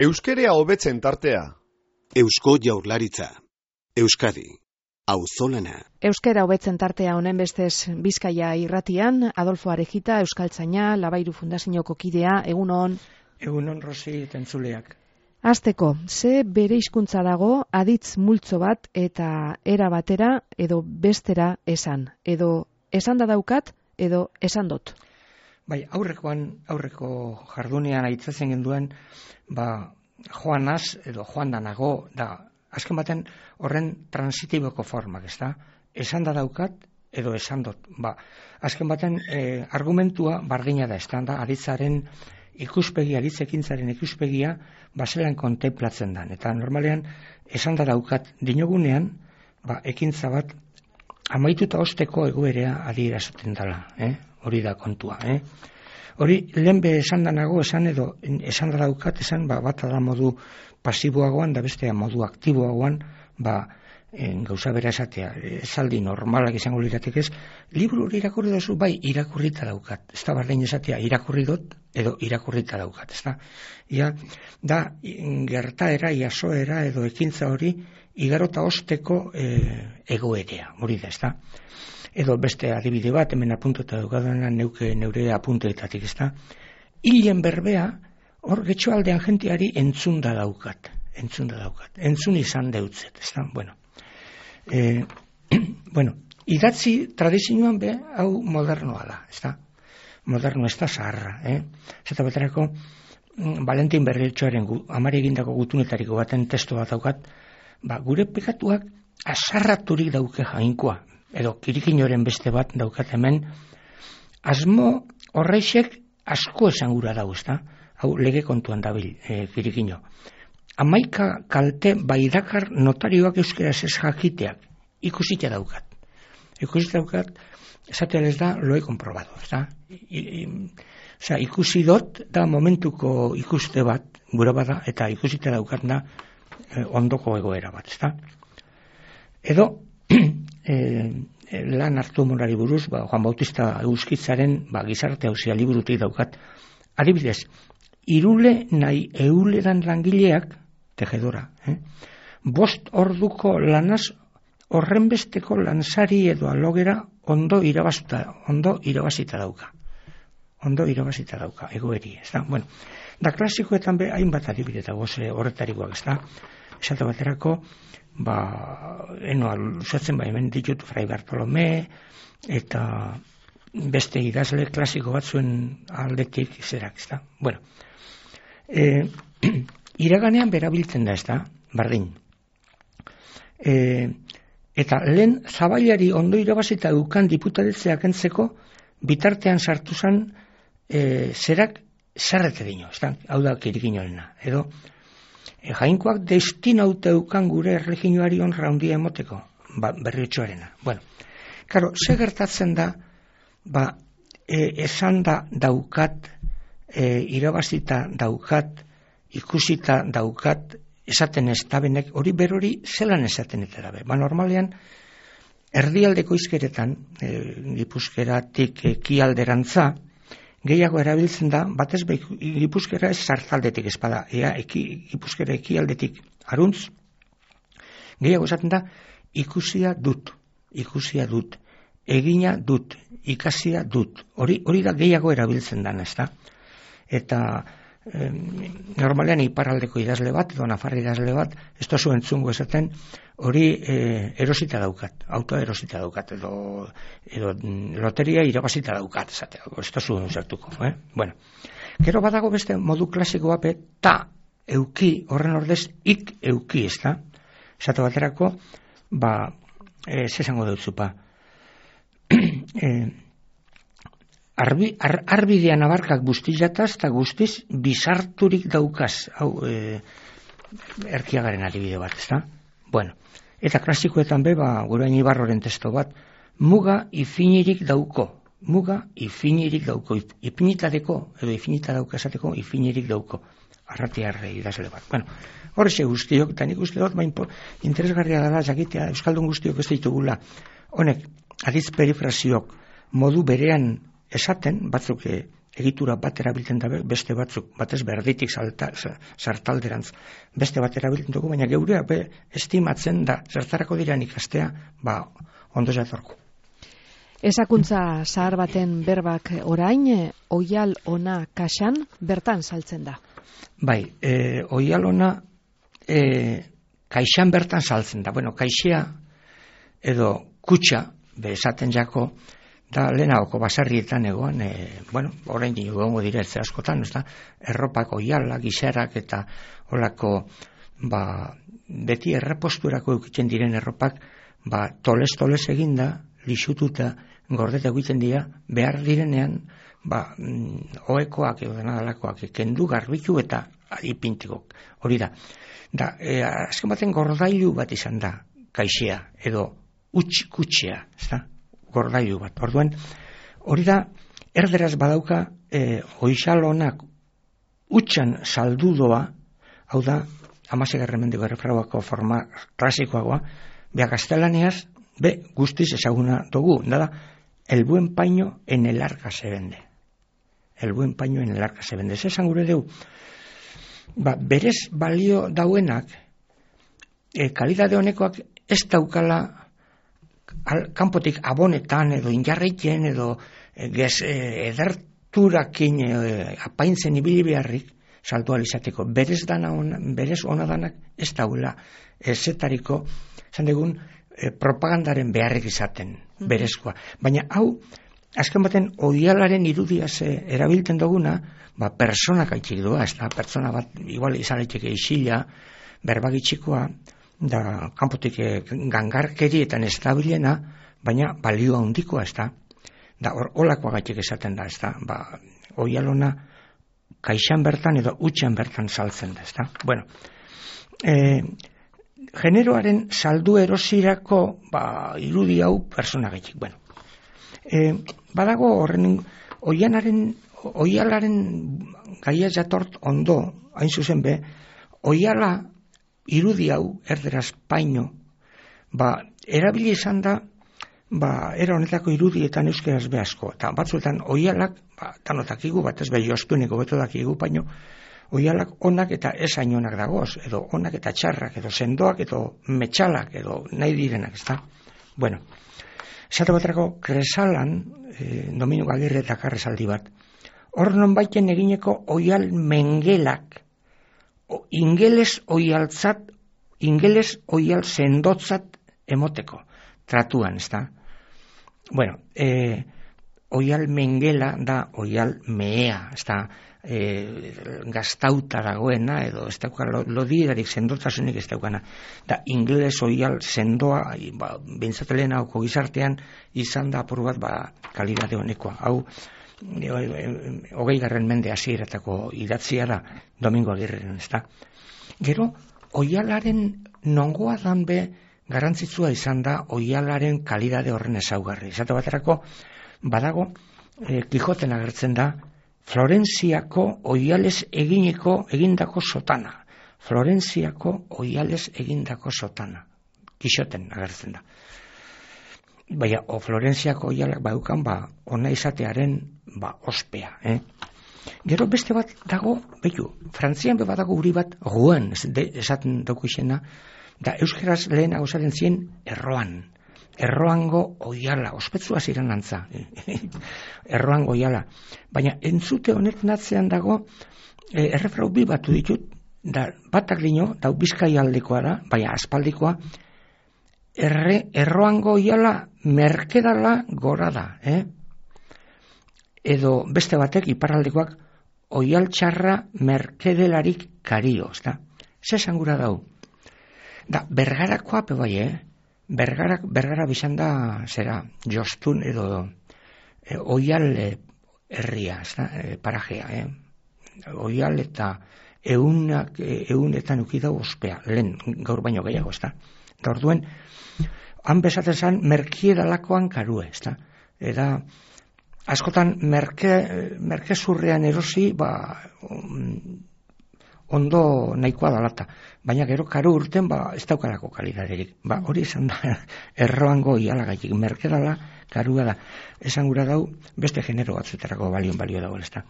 Euskerea hobetzen tartea. Eusko Jaurlaritza. Euskadi. Auzolana. Euskera hobetzen tartea honen bestez Bizkaia irratian, Adolfo Arejita, Euskaltzaina, Labairu Fundazioko kidea, egunon. Egunon Rosi tentzuleak. Hasteko, ze bere hizkuntza dago aditz multzo bat eta era batera edo bestera esan. Edo esan da daukat edo esan dut. Bai, aurreko jardunean aitzatzen genduen, joanaz edo joan da nago, da azken baten horren transitiboko formak, ez da? Esan da daukat edo esan dut. Azken baten argumentua bardina da, ez da, aditzaren ikuspegia, aditzekintzaren ikuspegia, baselan kontemplatzen da. Eta normalean, esan da daukat dinogunean, ekintza bat, amaituta osteko egoerea adierazten dela, hori da kontua, Hori, lehenbe esan da nago, esan edo, esan da daukat, esan, bat da modu pasiboagoan, da bestea modu aktiboagoan, gauza bera esatea, esaldi normalak izango liratek ez, liburu hori irakurri dozu, bai, irakurrita daukat, ez da barrein esatea, irakurri dut, edo irakurrita daukat, ez da. Ia, da, gertaera, iasoera, edo ekintza hori, igarota osteko egoerea, hori da, ez da. Edo beste adibide bat, hemen apuntota daugadana neure apunteetatik, ez da. Hilen berbea, hor getxoaldean jentiari entzun daukat, entzun izan deutzet, ez da, idatzi tradizioan hau modernoa da, ez da, moderno ez da zaharra, Zeta baterako, Valentin Berriotxoaren amari egindako gutunetariko baten testu bat daukat, gure pekatuak azarraturik dauke jainkoa, edo kirikinoren beste bat daukat hemen, asmo horreixek asko esan gura dago, ez da, hau lege kontuan dabil kirikino. 11 kalte baidakar notarioak euskeraz ez jakiteak, ikusita daukat. Esatean ez da, lo he comprobado, ez da. Ikusi dut da momentuko ikuste bat, gura bada, eta ikusita daukat da ondoko egoera bat, ez da. Edo, lan hartu morari buruz, Juan Bautista Euskitzaren gizarte hauzia liburutik daukat. Adibidez, irule nahi euleran langileak, tejedora, 5 orduko lanaz horrenbesteko lansari edo alogera ondo irabazita dauka. Egoeri, ez da. Da klasikoetan hainbat adibide dago horretarikoak, ez da. Esate baterako, luzatzen hemen ditut Fray Bartolome, eta beste idazle klasiko batzuen aldetik zerak, ez da. Iraganean berabiltzen da, ez da, bardin. Eta lehen zabailari ondo irabazita dukan diputadetzeak entzeko, bitartean sartu zen zerak zerrete dino, ez da, hau da kirikinoarena, edo jainkoak destinauta eukan gure erregioari honra handia emoteko, Berriotxoarena. Karo, ze gertatzen da, esan da daukat, irabazita daukat, ikusita daukat, esaten ez tabenek, hori berori zelan esaten eta dabe. Normalean, erdialdeko izkeretan, Gipuzkeratik ekialderantza, gehiago erabiltzen da, batez Gipuzkera ez zartaldetik espada, Gipuzkera ekialdetik aruntz, gehiago esaten da, ikusia dut, egina dut, ikasia dut, hori da gehiago erabiltzen dan, ez da? Eta normalean iparraldeko idazle bat, edo nafar idazle bat, ez da zuen entzungo esaten, hori erosita daukat, autoa erosita daukat, edo loteria irabazita daukat, esatea, ez da zuen zertuko. Gero badago beste modu klasikoa ta euki, horren ordez, ik euki, ez da? Esate baterako, zesango dut zupa, arbidean abarkak guztizataz eta guztiz bizarturik daukaz, hau erkiagaren adibide bat, ez da? Eta klasikoetan Gurain Ibarroren testo bat, muga ifinirik dauko, ipinitateko, edo ifinita dauka esateko, ifinirik dauko, arratiarre idazle bat. Horrexe guztiok, eta nik uste dut, interesgarria dela jakitea, euskaldun guztiok ez ditugula, honek, aditz perifraziok, modu berean esaten, batzuk egitura bat erabiltzen da beste batzuk, batez berditik sartalderantz, beste bat erabiltzen dugu, baina geurea estimatzen da, zertarako diran ikastea, ondo jatorku. Ezakuntza zahar baten berbak orain, oial ona kaxan bertan saltzen da. Bai, oial ona kaixan bertan saltzen da. Bueno, kaixea edo kutxa, esaten jako, da lehenagoko basarrietan egoan, orain egongo direltze askotan, erropak oiala, gixarak eta olako, beti erreposturako eukitzen diren erropak, toles eginda, lixututa, gordeta egiten dira, behar direnean, oekoak edo denadalakoak, kendu garbitu eta ipintikok. Hori da. Da, azken baten gordailu bat izan da, kaixea, edo kutxea, gordailu bat. Orduan, hori da, erderaz badauka, oixalonak utxan saldudoa, hau da, 16. mendeko errefrauako forma klasikoagoa, gaztelaneaz, guztiz ezaguna dugu, da, el buen paño en el arca se vende. El buen paño en el arca se vende. Zesan gure deu, berez balio dauenak, kalidade honekoak ez daukala kanpotik abonetan edo injarreiten edo ederturakin apaintzen ibili beharrik saldu alizateko. Berez ona danak ez daula ezetariko, zan degun, propagandaren beharrik izaten, berezkoa. Baina hau, azken baten oialaren irudiaz erabiltzen duguna, personak aitzik doa, ez da, pertsona bat, igual izaletik isila, berbagitxikoa, da, kanpotik gangarkerietan ez da bilena, baina balioa handikoa, ez da, da, olakoa gaitik esaten da, ez da, oialona kaixan bertan edo utxan bertan saltzen da, ez da. Bueno, generoaren saldu erosirako irudi hau persona gaitik. Bueno, badago horren oialaren gaia jatort ondo, hain zuzen oiala irudi hau, erderaz paino, erabili izan da, era honetako irudietan euskeraz asko. Eta batzuetan oialak, tanotakigu, batez jostuneko beto dakigu, paino, oialak onak eta esain onak dagoz, edo onak eta txarrak, edo sendoak, edo metxalak, edo nahi direnak, ez da? Bueno, esate baterako kresalan, Dominu Agirre eta karrezaldi bat, hor non baiten egineko oial mengelak, ingeles oial sendotzat emoteko, tratuan, ez da? Bueno, oial mengela da oial mehea, ez da, gaztauta dagoena, edo ez dauka lodirarik sendotasunik ez daukana. Da, ingeles oial sendoa, bintzatelen hauko gizartean, izan da apur bat, kalidade honekoa. Hau, 20. mende hasieratako idatzia da, Domingo Agirreren, ez da. Gero, oialaren nongoa dan garrantzitsua izan da oialaren kalidade horren ezaugarri. Esate baterako, badago, Kijoten agertzen da, Florentziako oiales egindako sotana. Florentziako oiales egindako sotana. Kixoten agertzen da. Baina, Florentziako oialak baukan, ona izatearen, ospea. Gero beste bat dago, Frantzian badago guri bat, Rouen, esaten dugu izena, da euskeraz lehen hausaren zien erroan. Erroango oiala, ospetsua ziren antza. Erroango oiala. Baina entzute honek natzean dago, errefrau bi batu ditut, da batak dino, da Bizkai aldekoa da, baina aspaldikoa, erroango oiala merkedala gora da. Edo beste batek, iparraldekoak, oial txarra merkedelarik kario. Zesan gura dau. Da, bergarakoa bai, Bergara bizan da, jostun edo oial herria, parajea, oial eta eunetan ukidau ospea, lehen gaur baino gehiago, Da orduen, han bezaten zan, merkiedalakoan karue, Eta, askotan, merkezurrean erosi, ondo nahikoa dalata, baina gero karu urten ez daukalako kalidaderik. Hori esan da, erroango ialagaitik, merkedala, karua da. Esan gura dau, beste genero batzuetarako balio dago, ez da.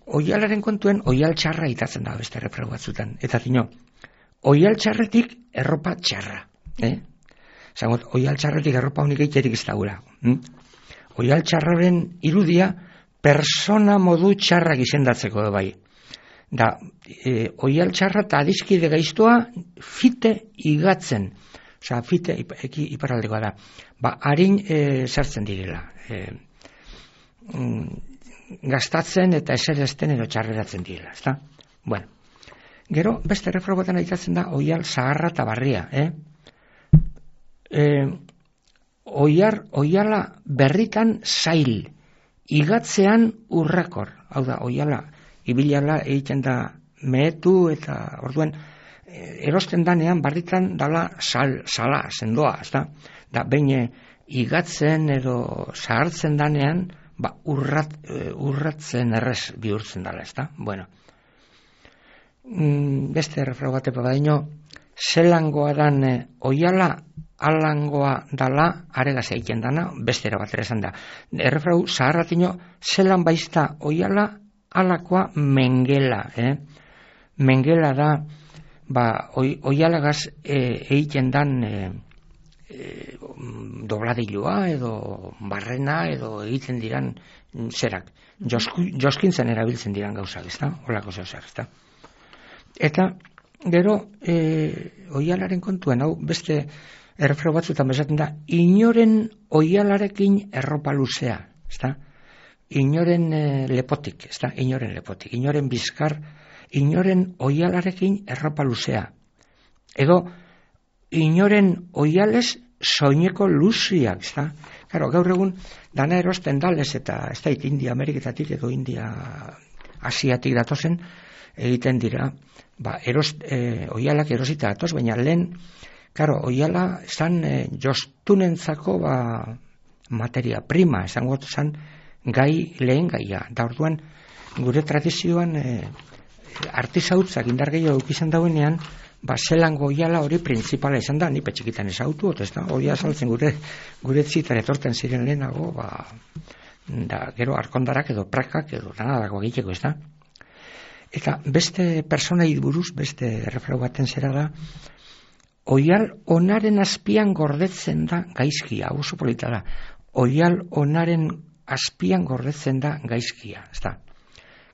Oialaren kontuen, oial txarra itatzen da beste errefrau batzutan. Eta zino, oial txarretik erropa txarra. Zangot, oial txarretik erropa honik egiterik ez daura. Oial txarraren irudia, persona modu txarrak izendatzeko da bai. Da, oial txarra eta adiskide gaiztoa fite igatzen. Osa, fite iparaldekoa da. Harin sartzen direla. Gastatzen eta eserezten edo txarreratzen direla. Ezta? Bueno, gero, beste errefragoetan aitatzen da oial zaharra eta barria. Oiala berritan zail, igatzean urrakor. Hau da, oiala, ibilala egiten da mehetu eta orduan erosten danean barritan dala sala, sendoa, ezta? Da, behin igatzen edo zahartzen danean, urratzen errez bihurtzen dala, ezta? Bueno, beste errefrau batepa badaino, zelangoa dan oiala, alangoa dala, aregaz egiten dana, beste erabatera esan da. Errefrau zaharratino, zelan baizta oiala, alakoa mengela. Mengela da, oialagaz egiten dan dobladilua edo barrena edo egiten diran zerak. Joskintzen erabiltzen diran gauzak, ezta? Olako zeuzak, ezta? Eta, gero, oialaren kontuen, hau beste errefrau batzuetan bezaten da, inoren oialarekin erropa luzea, ezta? Inoren lepotik, ezta? Inoren lepotik, inoren bizkar, inoren oialarekin erropa luzea. Edo, inoren oiales soineko luziak, ezta? Claro, gaur egun, dana erosten dalez eta ez da India Ameriketatik edo India Asiatik datozen, egiten dira, oialak erosita datoz, baina lehen, claro, oiala zan jostunentzako materia prima, esango zan gai lehen gaia. Da orduan, gure tradizioan artizautzak indar gehiago izan dauenean, zelango oiala hori printzipala izan da, ni petxikitan ezautu, ez da, hori azaltzen gure zitan etorten ziren lehenago, da, gero arkondarak edo prakak edo danadako egiteko, ez da. Eta beste personai buruz, beste errefrau baten zera da, oial onaren azpian gordetzen da gaizkia, oso polita da, oial onaren azpian gordetzen da gaizkia, ez da.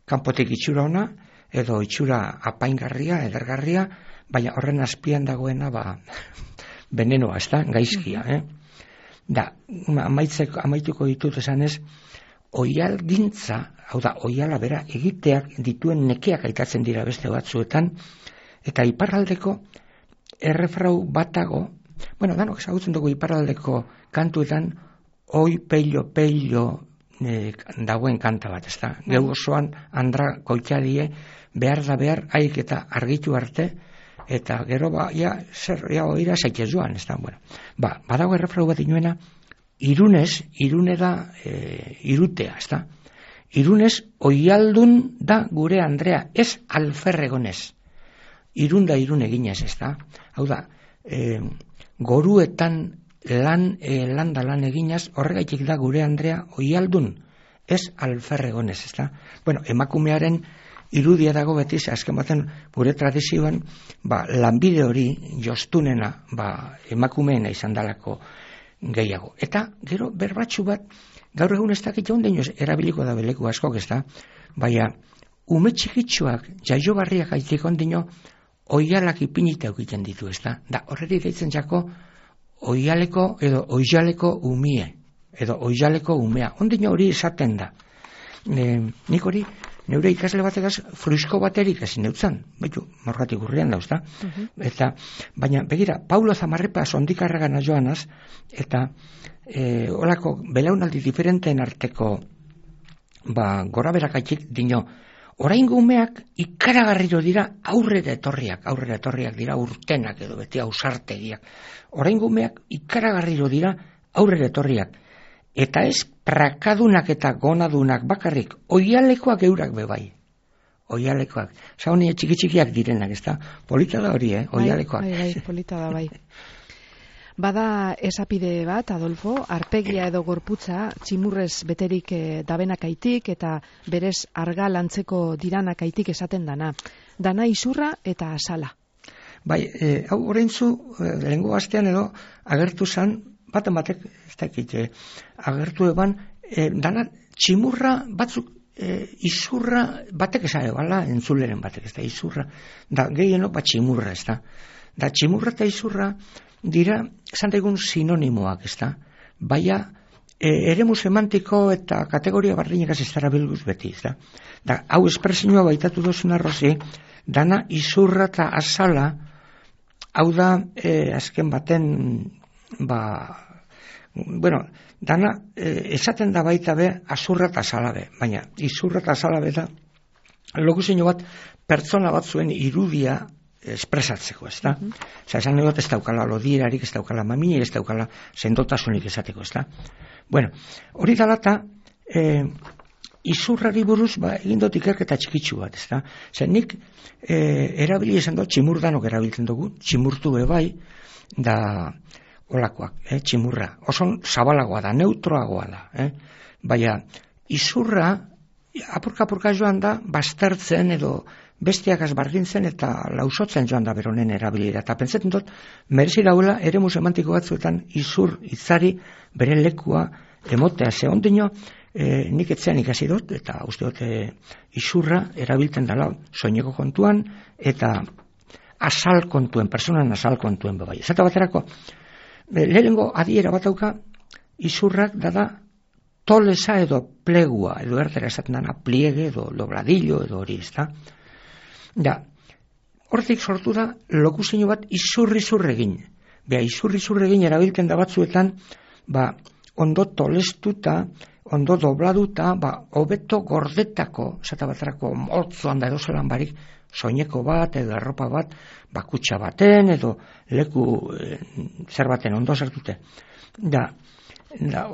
Kanpotik itxura ona, edo itxura apaingarria, edergarria, baina horren azpian dagoena venenoa, ez da, gaizkia. Da, amaituko ditut esanez, oial gintza, hau da, oiala bera egiteak dituen nekeak aitatzen dira beste batzuetan, eta iparraldeko errefrau batago, bueno, danok ezagutzen dugu iparraldeko kantuetan, oi peilo dagoen kanta bat, ez da. Geu osoan, andra koitadie, behar da behar, haik eta argitu arte, eta gero oira zaitez joan, ez da. Bueno, badago errefrau bat inoena, irune da irutea, ez da. Irunez, oialdun da gure Andrea, ez alferregonez. Irun da irun eginez, ez da. Hau da, goruetan lan eginaz, horregaitik da gure Andrea oialdun, ez alferregonez, ez da. Bueno, emakumearen irudia dago beti, azken baten gure tradizioan, lanbide hori jostunena, emakumeena izan dalako gehiago. Eta, gero, berbatxu bat, gaur egun ez dakit jaun deinoz, erabiliko da beleku askok, ez da, baina, ume txikitsuak, jaiobarriak aitik ondino, oialak ipinita egiten ditu, ez da. Da, horreti deitzen jako, oialeko edo oialeko umie, edo oialeko umea. Ondino hori esaten da. Nik hori, neure ikasle bategaz, fruisko baterik ezin neutzan, baitu, morgatik urrian dauz, da. Eta, baina, begira, Paulo Zamarrepa sondikarragan joanaz, eta olako belaunaldi diferenteen arteko gora berakaitik dino, oraingo umeak ikaragarriro dira aurrera etorriak dira urtenak edo beti ausartegiak. Oraingo umeak ikaragarriro dira aurrera etorriak. Eta ez prakadunak eta gonadunak bakarrik, oialekoak eurak bebai. oialekoak. Honi txiki-txikiak direnak, ezta? Polita da hori, oialekoak. Bai, polita da, bai. Bada esapide bat, Adolfo, arpegia edo gorputza tximurrez beterik dabenakaitik eta berez argal antzeko diranakaitik esaten dana. Dana izurra eta asala. Bai, hau oraintzu lehengo astean edo agertu zan, baten batek, ez dakit, agertu eban, dana tximurra batzuk izurra batek esan ebala, entzuleren batek, ez da, izurra, da gehienok bat tximurra, ez da. Da tximurra eta izurra dira, esan daigun sinonimoak, ez da. Baina, eremu semantiko eta kategoria bardinekaz ez dara bilguz beti, ez da. Da, hau espresinua baitatu dozuna rozi, dana izurra eta azala, hau da, azken baten, dana, esaten da baita be, azurra eta azalabe, baina izurra eta azalabe da, lokuzio bat, pertsona bat zuen irudia espresatzeko, ez da? Esan nahi bat ez daukala lodierarik, ez daukala maminik, ez daukala sendotasunik esateko, ez da? Bueno, hori dalata, izurrari buruz, egin dut ikerketa txikitsu bat, ez da? Zer nik, erabili esan dut, tximurdanok erabiltzen dugu, tximurtu bai, da olakoak, tximurra. Oso zabalagoa da, neutroagoa da, baina izurra, apurka joan da, baztertzen edo bestiak azbardintzen eta lausotzen joan da beronen erabilira. Eta pentsatzen dut, merezi dauela eremu semantiko batzuetan izur hitzari bere lekua emotea. Ze ondino, nik etzean ikasi dut, eta uste dut izurra erabiltzen dela soineko kontuan, eta asal kontuen, personan asal kontuen bebai. Zata baterako, lehenengo adiera bat dauka, izurrak da tolesa edo plegua, edo erdera esaten dana pliege edo dobladillo edo hori, ez da? Da, hortik sortu da lokuzio bat izurri-zurregin. Bea, izurri-zurregin erabiltzen da batzuetan, ondo tolestuta, ondo dobladuta, hobeto gordetako, zata baterako moltzoan da edo zelan barik, soineko bat edo erropa bat, kutsa baten edo leku zer baten ondo sartute. Da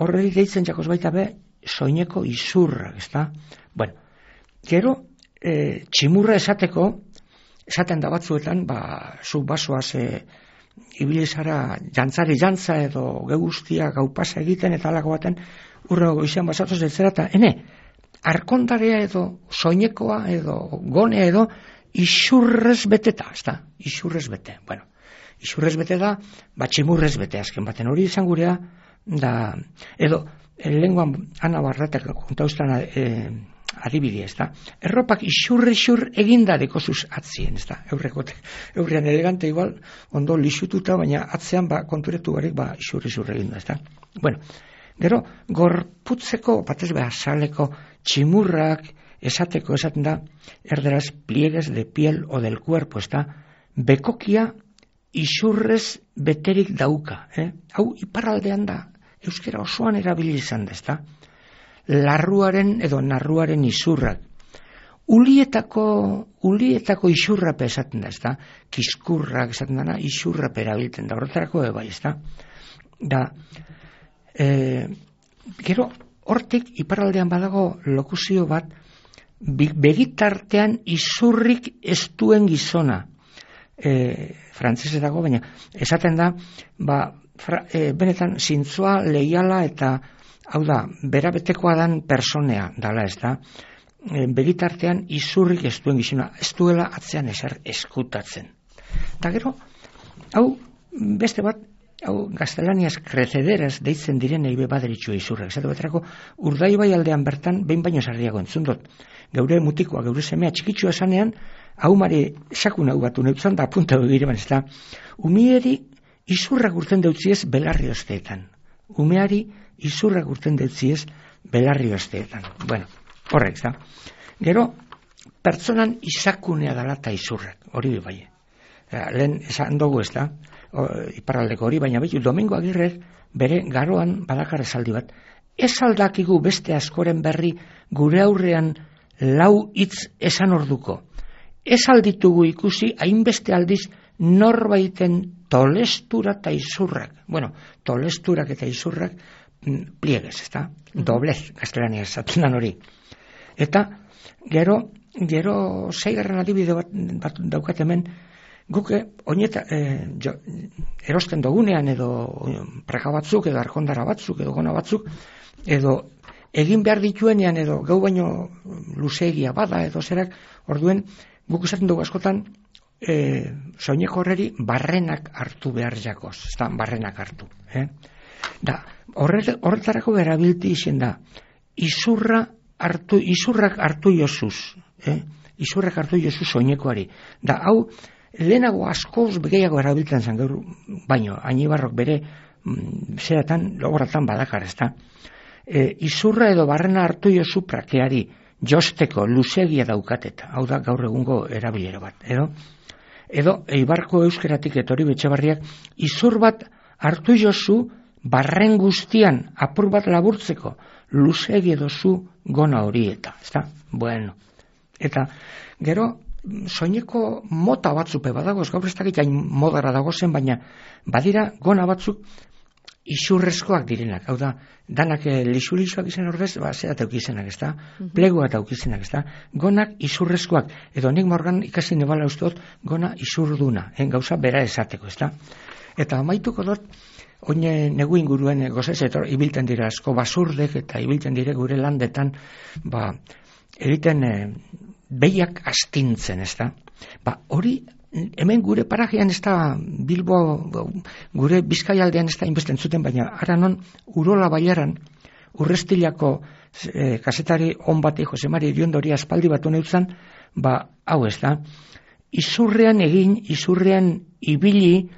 horreri deitzen jakoz baita be, soineko izurra, ez da? Bueno, gero, tximurra esateko, esaten da batzuetan, zu basoaz ibilizara jantzari jantza edo guztia gaupasa egiten eta alako baten urrego goizean basatoz etzera eta arkondarea edo soinekoa edo gonea edo izurrez beteta, ez da? Izurrez bete, bueno, izurrez bete da, tximurrez bete azken baten hori izan gurea, da, edo, lenguan Ana Barratek kontauztan adibidea, ez da? Erropak izurre-izur eginda dekozuz atzien, ez da? Eurrean elegante igual, ondo lixututa, baina atzean konturetu barik izurre-izur eginda, ez da? Bueno, gero, gorputzeko, batez asaleko tximurrak esateko esaten da, erderaz pliegues de piel o del cuerpo, ez da? Bekokia izurrez beterik dauka, Hau iparraldean da, euskera osoan erabili izan da, ez da? Larruaren edo narruaren izurrak. Ulietako izurrape esaten da, ez da? Kiskurrak esaten dana, izurrape erabiltzen da, horretarako bai, ez da? Gero, hortik iparraldean badago lokuzio bat, begitartean izurrik ez duen gizona. Frantzese dago, baina esaten da, benetan zintzoa, leiala eta hau da, berabetekoa dan personea dala, ez da, begitartean izurrik ez duen gizona, ez duela atzean ezer eskutatzen. Eta gero, hau beste bat, hau gaztelaniaz krecederaz deitzen direnei baderitxua izurrak. Zatu baterako, Urdaibai aldean bertan, behin baino sarriago entzundot. Geure mutikoa, geure semea txikitsua esanean, hau mari sakun hau batu neutzan da apunta begireban, ez da. Umieri izurrak urten deutziez belarri osteetan. Umeari izurrak urten deutziez belarri osteetan. Bueno, horrek, da. Gero, pertsonan izakunea dala eta izurrak, hori bai. Lehen esan dugu, ez da, iparraldeko hori, baina betu, Domingo Agirrek bere garoan badakar esaldi bat. Ez aldakigu beste askoren berri gure aurrean lau hitz esan orduko. Ez alditugu ikusi hainbeste aldiz norbaiten tolestura eta izurrak. Bueno, tolesturak eta izurrak pliegues, ez da? Doblez, gaztelania esaten hori. Eta, gero, gero 6. adibide bat daukat hemen, guk erosten dugunean edo praka batzuk edo arkondara batzuk edo gona batzuk edo egin behar dituenean edo gau baino luzeegia bada edo zerak, orduen guk esaten dugu askotan soineko horreri barrenak hartu behar jakoz, ez da, barrenak hartu. Da, horretarako erabilti izen da, izurrak hartu jozuz, izurrak hartu jozuz soinekoari. Da, hau, lehenago askoz gehiago erabiltzen zen gaur, baino, Añibarrok bere zeratan, logoratan badakar, ez da. Izurra edo barrena hartu jozu prakeari, josteko, luzegia daukateta, hau da gaur egungo erabilera bat, edo Eibarko euskeratik etori Betxebarriak, izur bat hartu jozu barren guztian apur bat laburtzeko, luzegi edozu gona hori eta, ez da, bueno. Eta, gero, soineko mota batzupe badagoz, gaur ez dakit hain modara dagozen, baina badira gona batzuk izurrezkoak direnak, hau da, danak lisu-lisuak izan ordez, zerat aukizenak, ez da, plegoat aukizenak, ez da, gonak izurrezkoak, edo nik morgan ikasi nebala usteot, gona izurduna, gauza bera esateko, ez da. Eta amaituko dut, oine negu inguruen gozez, ibilten dira asko basurdek, eta ibilten dire gure landetan, egiten behiak astintzen, ez da. Hori, hemen gure parajean ez da, Bilbo, gure Bizkaialdean ez da inbesten zuten, baina ara non Urola Baiaran, Urrestilako kasetari on bati Jose Mari Iriondori aspaldi bat honeutzan, hau ez da, izurrean egin, izurrean ibili,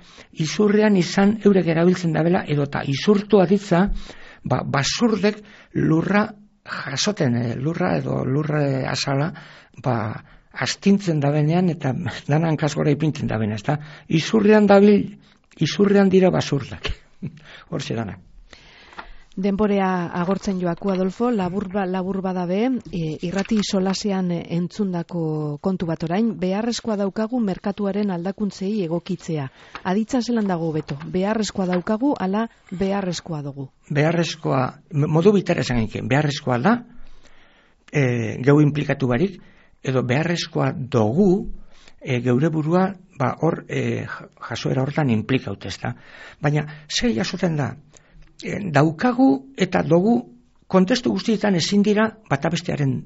izurrean izan eurek erabiltzen dabela, edota izurtu aditza, basurdek lurra jasoten, lurra edo lurra asala, astintzen dabenean eta danan kasgora ipintzen dabena, ez da? Izurrean dabil, izurrean dira basurdak. Hortxe dana. Denborea agortzen joaku, Adolfo, labur badabe, irrati solasean entzundako kontu bat orain, beharrezkoa daukagu merkatuaren aldakuntzei egokitzea. Aditza zelan dago beto, beharrezkoa daukagu, ala beharrezkoa dugu. Beharrezkoa, modu bitara esan egin, beharrezkoa da, geu implikatu barik, edo beharrezkoa dugu, geure burua, hor, jasoera hortan implikaut ez da. Baina, zei jasoten da, daukagu eta dugu kontestu guztietan ezin dira batabestearen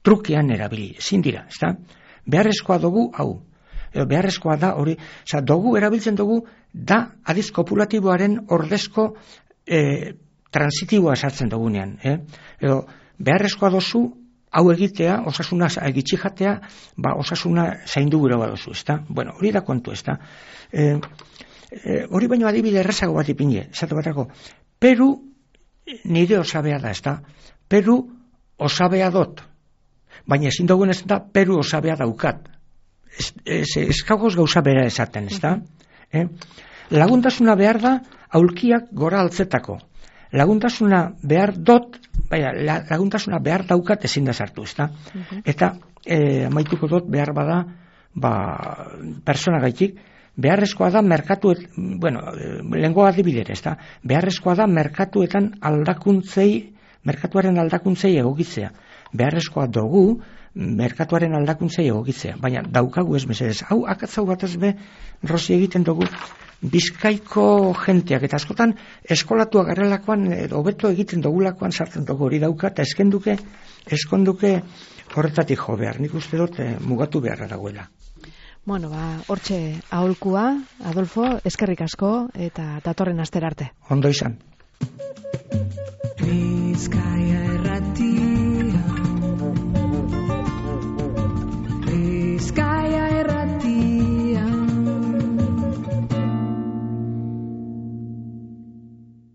trukean erabili, ezin dira, ez da? Beharrezkoa dugu, hau, edo beharrezkoa da hori, dugu erabiltzen dugu, da adiz kopulatiboaren ordezko transitiboa sartzen dugunean, edo beharrezkoa dozu, hau egitea, osasuna egitxi jatea, osasuna zaindu gure badozu, ez da? Bueno, hori da kontu, ez da? Hori baino adibide errazago bat ipinge, esatu batako, Peru nire osabea da, ez da? Peru osabea dot, baina ezin dugun ez da, Peru osabea daukat. Ez kagoz gauza bera esaten, ez da? Laguntasuna behar da, aulkiak gora altzetako. Laguntasuna behar dot, laguntasuna behar daukat ezin da sartu, ez da? Eta amaituko dut behar bada, persona gaitik, beharrezkoa da lehengo adibidere, ez da? Beharrezkoa da merkatuaren aldakuntzei egokitzea. Beharrezkoa dugu merkatuaren aldakuntzei egokitzea. Baina daukagu ez mesedez. Hau, akatzau bat ez be, Rosi egiten dugu, Bizkaiko jenteak, eta askotan eskolatua garrelakoan, hobeto egiten dugulakoan sartzen dugu hori dauka, eta eskonduke horretatik jo behar. Nik uste dut mugatu beharra dagoela. Bueno, hortxe aholkua, Adolfo, eskerrik asko eta datorren astera arte. Ondo izan. Bizkaia